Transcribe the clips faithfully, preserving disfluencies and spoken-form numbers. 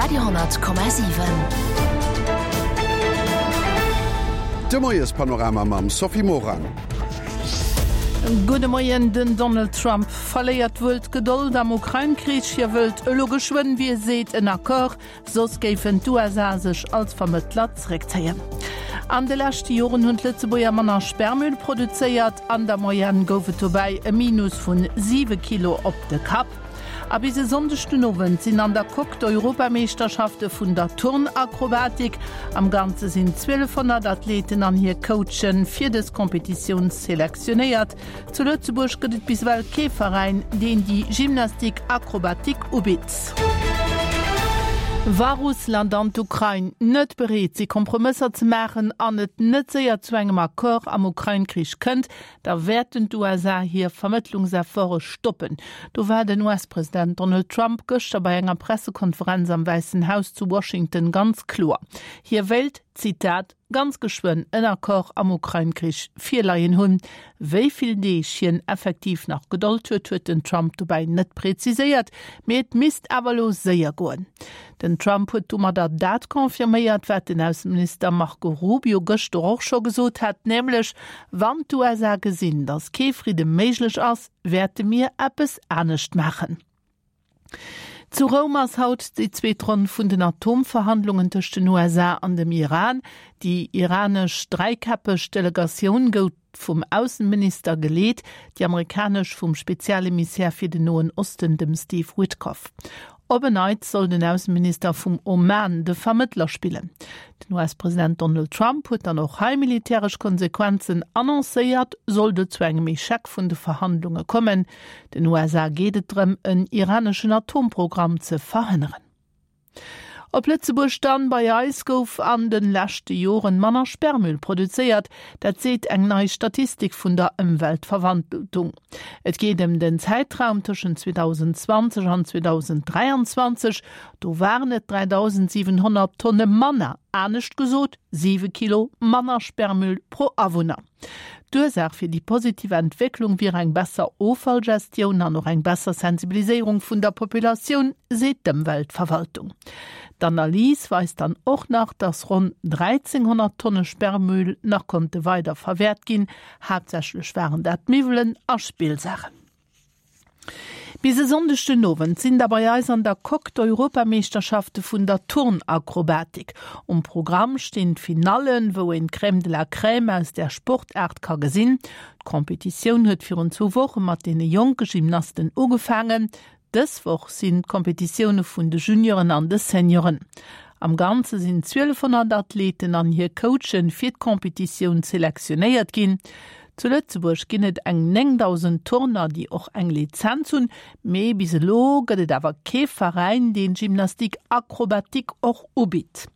Radio honnert Komma siwen. De Moiespanorama mam Sophie Morang. Gudde Moien, Den Donald Trump verléiert wuel d'Gedold am Ukrain-Krich. Hie wëllt elo geschwënn, wéi e seet, en Accord, soss géifen d'USA sech als Vermëttler zeréckzéien. An de leschte Joren hunn d'Lëtzebuerger manner Sperrmüll produzéiert. An der Moyenne gouf et dobäi e Minus vun siwe Kilo op de Kapp. A bis e Sonndeg den Owend sinn an der Coque d'Europameeschterschafte vun der Turnakrobatik. Am Ganze sinn zwielefhonnert Athleten an hir Coachen fir dës Competitioun selektionéiert. Zu Lëtzebuerg gëtt et bis ewell kee Veräin, deen déi Gymnastique acrobatique ubitt. Wa Russland an d'Ukrain net bereet si Kompromësser ze maachen an et net séier zu engem Accord am Ukrain-Krich kënnt, da wäerten d'USA hir Vermëttlungsefforte stoppen. Do war den US-President Donald Trump gëschter bei enger Pressekonferenz am Wäissen Haus zu Washington ganz kloer. Hie wéilt, Zitat, ganz geschwënn en Accord am Ukrain-Krich virleien hunn. Wéi vill Deeg hien effektiv nach Gedold huet, huet den Trump dobäi net präziséiert, mee et misst awer elo séier goen. Den Trump huet domadder dat confirméiert, wat den Ausseminister Marco Rubio gëschter och scho gesot hat, nämlech, Wann d'USA gesinn, datt kee Fridde méiglech ass, wäerte mir eppes anescht maachen. Zu Roum ass haut déi zweet Ronn vun den Atomverhandlungen tëscht den USA an dem Iran. Déi iranesch dräikäppeg Delegatioun gouf vum Ausseminister geleet, déi amerikanesch vum Spezialemissär fir den Noen Osten, dem Steve Witkoff. Op en Neits soll den Ausseminister vum Oman de Vermëttler spillen. Den US-President Donald Trump huet dann och hei militäresch Konsequenzen annoncéiert, sollt et zu engem Echec vun de Verhandlunge kommen. Den USA geet et drëm, en iraneschen Atomprogramm ze verhënneren. Op Lëtzebuerg dann, Bei eis gouf an de leschte Joren manner Sperrmüll produzéiert, dat seet eng nei Statistik vun der Ëmweltverwaltung. Et geet ëm den Zäitraum tëschent zweedausendzwanzeg an zweedausenddräianzwanzeg, do waren et dräidausendsiwenhonnert Tonne manner, anescht gesot siwe Kilo manner Sperrmüll pro Awunner. D'Ursaach fir déi positiv Entwécklung wier eng besser Offallgestioun an och eng besser Sensibiliséierung vun der Populatioun, seet d'Ëmweltverwaltung. D'Analys weist dann och nach, dass ronn dräizenghonnert Tonne Sperrmüll nach konnte weider verwäert ginn. Haaptsächlech waren dat Miwwelen a Spillsaachen. Bis e Sonndeg den Owend sinn da bei eis an der Coque d'Europameeschterschafte vun der Turnakrobatik. Um Programm stinn d'Finallen, wou een d'Crème de la Crème aus där Sportaart ka gesinn. D'Competitioun huet virun zwou Woche mat deene jonke Gymnasten ugefaangen. Dës Woch sinn d'Competitioune vun de Junioren an de Senioren. Am Ganze sinn zwielefhonnert Athleten an hir Coachen fir d'Competitioun selektionéiert ginn. Zu Lëtzebuerg ginn et eng néngdausend Turner, déi och eng Lizenz hunn, mee bis elo gëtt et awer kee Veräin, deen Gymnastique acrobatique och ubitt.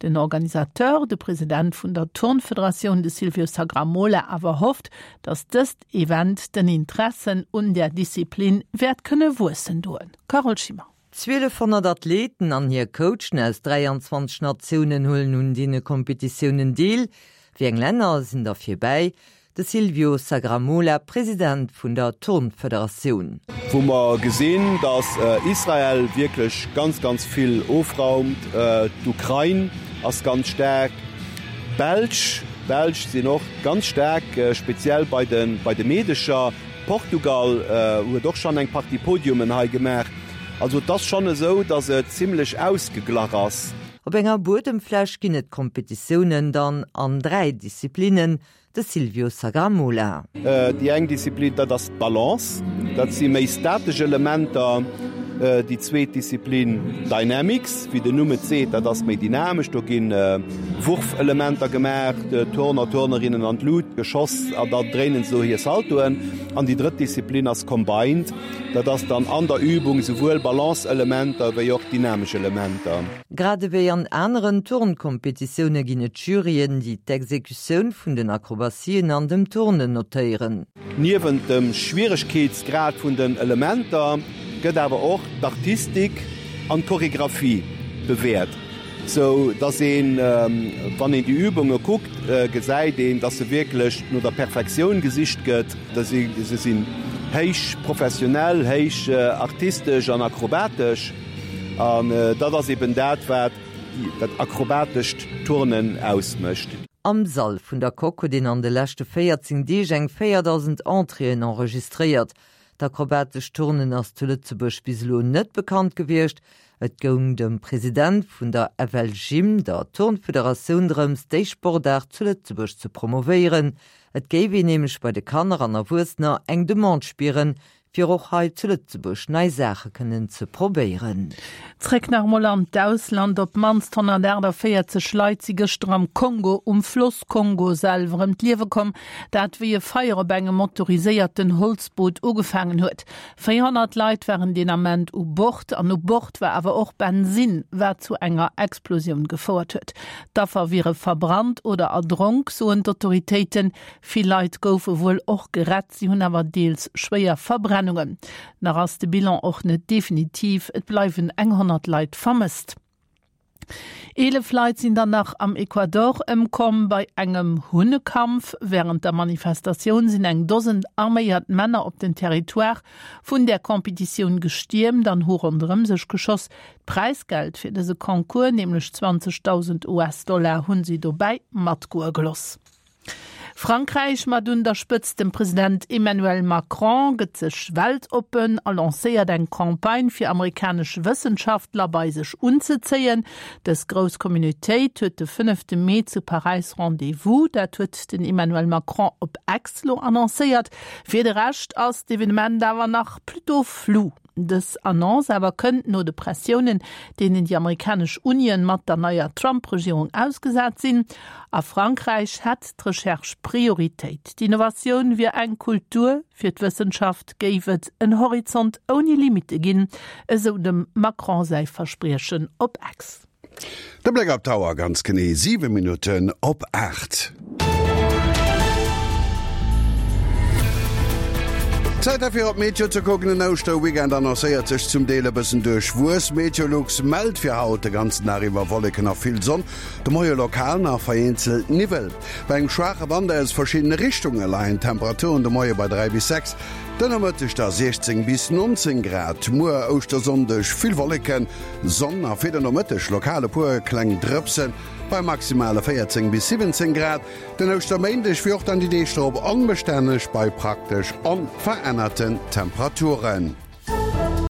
Den Organisateur, de President vun der Turnfederatioun, de Silvio Sagramola, awer hofft, datt dëst Event den Interessen un där Disziplin wäert kënne wuessen doen. Carole Schimmer. Zwielefhonnert Athleten an hir Coachen aus dräianzwanzeg Natiounen huelen un deene Kompetitiounen deel. Wéi eng Länner sinn der virbäi? De Silvio Sagramola, President vun der Turnfederatioun. Wou mer gesinn, datt Israel wierklech ganz, ganz vill ofraumt, d'Ukrain ass ganz staark, d'Belsch, d'Belsch sinn och ganz staark, speziell bei de, bei de Meedecher, Portugal huet och schonn eng Partie Podiumen hei gemaach. Also et ass schonn esou, datt et zimlech ausgeglach ass. Op enger Buedemfläch ginn et d'Kompetitiounen dann an dräi Disziplinnen, de Silvio Sagramola. Déi eng Disziplin, dat ass d'Balance, dat si méi statesch Elementer. Déi zweet Disziplin, Dynamics, wéi den Numm et seet, dat ass méi dynamesch, do gi Wurfelementer gemaach, Turner, Turnerinnen an d'Lut geschoss a da dréinen se do hir Saltoen. An déi drëtt Disziplin ass Combined, dat ass dann an der Übung souwuel Balance-Elementer wéi och dynamesch Elementer. Grad ewéi an aneren Turnkompetitioune ginn et Juryen, déi d'Exekutioun vun den Akrobatien an dem Turnen notéieren. Niewent dem Schwieregkeetsgrad vun den Elementer gëtt awer och d'Artistik an d'Choregraphie bewäert, sou dass een, wann een déi Übunge kuckt, gesäit een, dass se wierklech no der Perfektioun gesicht gëtt. Se sinn héich professionell, héich artistesch an akrobatesch. An dat ass eben dat, wat dat akrobatescht Turnen ausmécht. Am Sall vun der Coque huet een an de leschte véierzéng Deeg eng véierdausend Entréeën enregistréiert. D'akrobatescht Turnen ass zu Lëtzebuerg bis elo net bekannt gewiescht. Et goung dem President vun der FLGym, der Turnfederatioun, drëms, déi Sportaart zu Lëtzebuerg ze promovéieren. Et géif een nämlech bei de Kanner an Erwuessener eng Demande spieren, fir och hei zu Lëtzebuerg nei Saache kënnen ze probéieren. Zréck nach emol an d'Ausland, Op d'mannst honnertaachtavéierzeg Leit si gëschter am Kongo um Floss Kongo selwer ëm d'Liewe komm, dat wéi e Feier op engem motoriséierten Holzboot ugefaangen huet. Véierhonnert Leit waren deen Ament u Bord an u Bord war awer och Bensinn, wat zu enger Explosioun gefouert huet. D'Affer wiere verbrannt oder erdronk, soen d'Autoritéiten. Vill Leit goufe wuel och gerett, si hunn awer deels schwéier Verbrennungen. Nach ass de Bilan och net definitiv, et bleiwen eng honnert Leit vermësst. Eelef Leit sinn dann nach am Ecuador ëmkomm bei engem Hunnekampf. Wärend der Manifestatioun sinn eng Dosen arméiert Männer op den Territoire vun där Competitioun gestiermt an hu ronderëm sech geschoss. D'Präisgeld fir dëse Concours, nämlech zwanzegdausend US-Dollar, hunn si dobäi matgoe gelooss. Frankräich mat un der Spëtzt dem President Emmanuel Macron gëtt sech weltoppen a lancéiert eng Campagne fir amerikanesch Wëssenschaftler bei sech unzezéien. Dës grouss Communautéit huet de fënnefte Mee zu Paräis Rendez-vous. Dat huet den Emmanuel Macron op X lo annoncéiert. Fir de Rescht ass d'Evenement awer nach plutôt flou. Dës Annonce awer kënnt no de Pressiounen, deenen déi amerikanesch Unien mat der neier Trump-Regierung ausgesat sinn. A Frankräich hätt d'Recherche Prioritéit. D'Innovatioun wier eng Kultur, fir d'Wëssenschaft géif et en Horizont ouni Limitte ginn, esou dem Macron säi Verspriechen op X. De Bléck op d'Auer, ganz genee siwe Minutten op aacht. Zäit derfir op d'Meteo ze kucken. Den Ouschterweekend annoncéiert sech zum Deel e bëssen duerchwuess. Meteolux mellt fir haut de ganzen Dag iwwer Wolleken a vill Sonn, de Moie lokal nach vereenzelt Niwwel. Bei engem schwaache Wand aus verschiddene Richtunge leien d'Temperaturen de Moie bei dräi bis sechs, den Nomëtteg da siechzéng bis nonzéng Grad. Muer Ouschtersonndeg vill Wolleken, Sonn a fir den Nomëtteg lokal e puer kleng Drëpsen bei maximale véierzéng bis siwwenzéng Grad. Den Ouschterméindeg wéi och dann déi Deeg drop onbestänneg bei praktesch onverännerten Temperaturen.